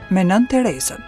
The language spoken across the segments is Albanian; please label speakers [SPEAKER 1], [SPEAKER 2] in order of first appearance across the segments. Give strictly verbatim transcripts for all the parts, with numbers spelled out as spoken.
[SPEAKER 1] me Nënë Terezën.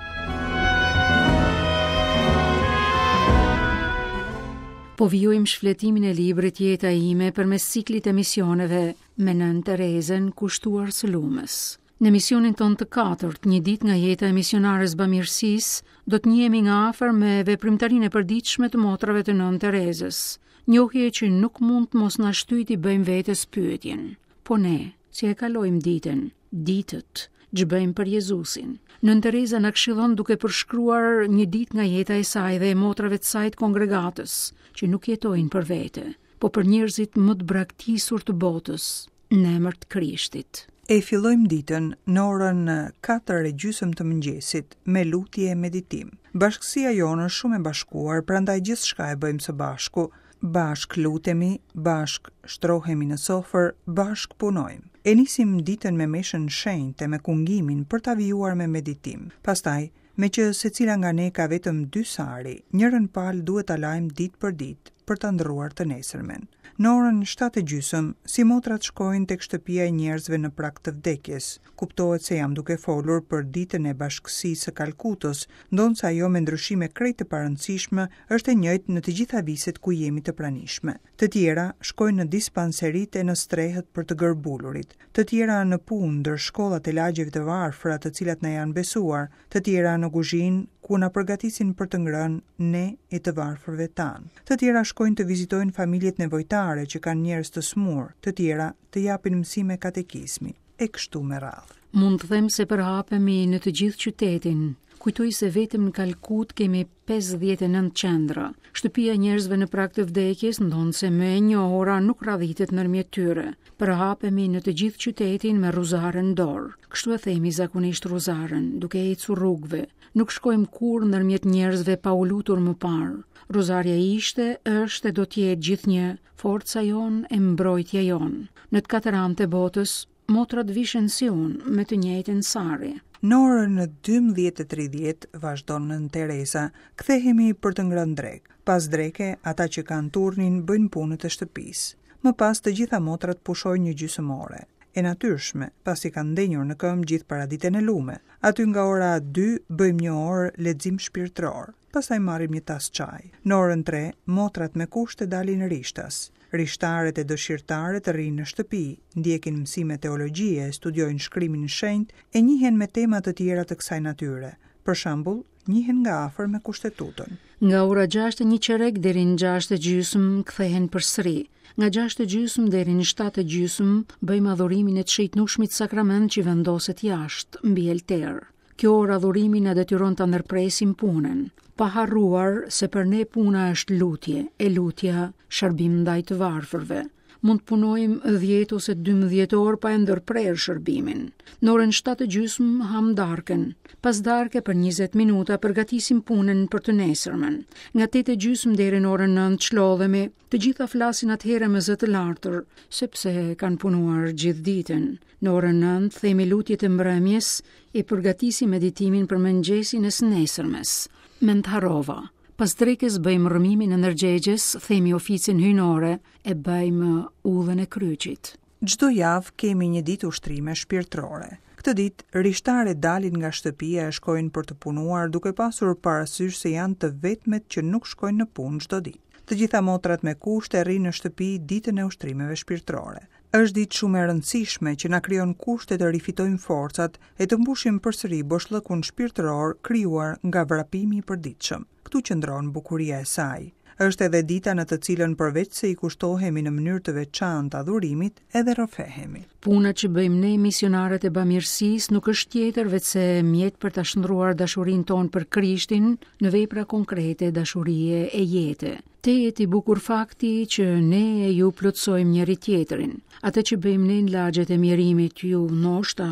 [SPEAKER 2] Po vijojmë shfletimin e librit Jeta ime përmes ciklit të emisioneve me Nënë Terezën kushtuar së lumës. Në emisionin tonë të katërt, një ditë nga jeta e misionares bamirësisë, do të njihemi nga afër me veprimtarinë e përditshme të motrave të Nënë Terezës, njohje që nuk mund të mos na shtyjë t'i bëjmë vetes pyetjen. Po ne, si e kalojmë ditën, ditët, ç'bëjmë për Jezusin? Nënë Tereza na këshillon duke përshkruar një ditë nga jeta e saj dhe e motrave të saj të kongregatës, që nuk jetojnë për vete, po për njerëzit më të braktisur të botës, në emër të Krishtit.
[SPEAKER 1] E fillojmë ditën në orën katër e gjysmë të mëngjesit me lutje e meditim. Bashkësia jonë është shumë e bashkuar, prandaj gjithçka e bëjmë së bashku. Bashk lutemi, bashk shtrohemi në sofër, bashk punojmë. E nisim ditën me meshën shenjtë e me kungimin për ta vijuar me meditim. Pastaj, me që secila nga ne ka vetëm dy sari, njërën palë duhet ta lajmë ditë për ditë për ta ndërruar të nesërmen. Në orën shtatë e gjysmë, si motrat shkojnë tek shtëpia e njerëzve në prag të vdekjes. Kuptohet se jam duke folur për ditën e bashkësisë së Kalkutës, ndonëse ajo me ndryshime krejt të parëndësishme është e njëjtë në të gjitha viset ku jemi të pranishme. Të tjera shkojnë në dispanseritë e në strehët për të gërbulurit, të tjera në punë ndër shkollat e lagjeve të varfra të cilat na janë besuar, të tjera në kuzhinë ku na përgatisin për të ngrënë ne e të varfërve tanë. Të tjera shkojnë të vizitojnë familjet nevojtare që kanë njerëz të smur, të tjera të japin mësime katekizmi, e kështu me radhë.
[SPEAKER 2] Mund të them se përhapemi në të gjithë qytetin. Kujtoj se vetëm në Kalkut kemi pesëdhjetë e nëntë qendra. Shtëpia e njerëzve në prag të vdekjes, ndonëse më e njohura, nuk radhitet ndërmjet tyre. Përhapemi në të gjithë qytetin me rruzaren në dorë. Kështu e themi zakonisht rruzaren, duke ecur rrugëve. Nuk shkojmë kurrë ndërmjet njerëzve pa u lutur më parë. Rruzarja ishte, është e do të jetë gjithnjë forca jonë e mbrojtja jonë. Në të katër anët e botës, motrat vishen si unë, me të njëjtën sari.
[SPEAKER 1] Në orën dymbëdhjetë e tridhjetë vazhdon Nënë Tereza, kthehemi për të ngrënë drekë. Pas dreke, ata që kanë turnin bëjnë punët e shtëpisë. Më pas të gjitha motrat pushojnë një gjysmë ore. E natyrshme, pasi kanë ndenjur në këmbë gjithë paraditen e lume. Aty nga ora dy bëjmë një orë lexim shpirtëror. Pastaj marrim një tas çaj. Në orën tre, motrat me kushte dalin rishtas. Rishtarët e dëshirtarët rrinë në shtëpi, ndjekin mësime teologjie, studiojnë shkrimin shenjt e njihen me tema të tjera të kësaj natyre. Për shembull, njihen nga afër me kushtetutën.
[SPEAKER 2] Nga ora gjashtë e një çerek deri në gjashtë e gjysmë kthehen përsëri. Nga gjashtë e gjysmë deri në shtatë e gjysmë bëjmë adhurimin e të shejtnushmit sakrament që vendoset jashtë mbi altar. Kjo orë adhurimi na detyron ta ndërpresim punën, pa harruar se për ne puna është lutje, e lutja shërbim ndaj të varfërve. Mund të punojmë dhjetë ose dymbëdhjetë orë pa e ndërprerë shërbimin. Në orën shtatë e gjysmë ham darkën. Pas darke për njëzet minuta përgatisim punën për të nesërmen. Nga tetë e gjysmë deri në orën nëntë çlodhemi, të gjitha flasin atëherë me zë të lartër, sepse kanë punuar gjithë ditën. Në orën nëntë themi lutjet e mbrëmjes e përgatisim meditimin për mëngjesin e së nesërmes. Mend harrova. Pas drekës bëjmë rrëmimin e ndërgjegjes, themi oficin hyjnore e bëjmë udhën e kryqit.
[SPEAKER 1] Çdo javë kemi një ditë ushtrime shpirtërore. Këtë ditë rishtarët dalin nga shtëpia e shkojnë për të punuar duke pasur parasysh se janë të vetmet që nuk shkojnë në punë çdo ditë. Të gjitha motrat me kushte rrinë në shtëpi ditën e ushtrimeve shpirtërore. Është ditë shumë e rëndësishme që na krijon kushte të rifitojmë forcat e të mbushim përsëri boshllëkun shpirtëror krijuar nga vrapimi i përditshëm. Këtu qëndron bukuria e saj. Është edhe dita në të cilën përveç se i kushtohemi në mënyrë të veçantë adhurimit, edhe rrëfehemi.
[SPEAKER 2] Puna që bëjmë ne misionarët e bamirësisë nuk është tjetër veçse mjet për ta shndruar dashurinë tonë për Krishtin në vepra konkrete dashurie e jete. Tejet i bukur fakti që ne e ju plotësojmë njëri tjetrin. Atë që bëjmë ne në lagjet e mjerimit ju ndoshta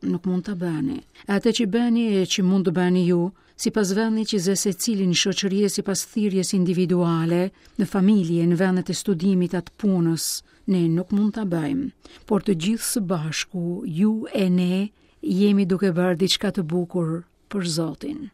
[SPEAKER 2] nuk mund ta bëni. Atë që bëni e që mund të bëni ju, sipas vendit që zë secili në shoqëri e sipas thirrjes individuale, në familje, në vendet e studimit atë punës, ne nuk mund ta bëjmë, por të gjithë së bashku, ju e ne, jemi duke bërë diçka të bukur për Zotin.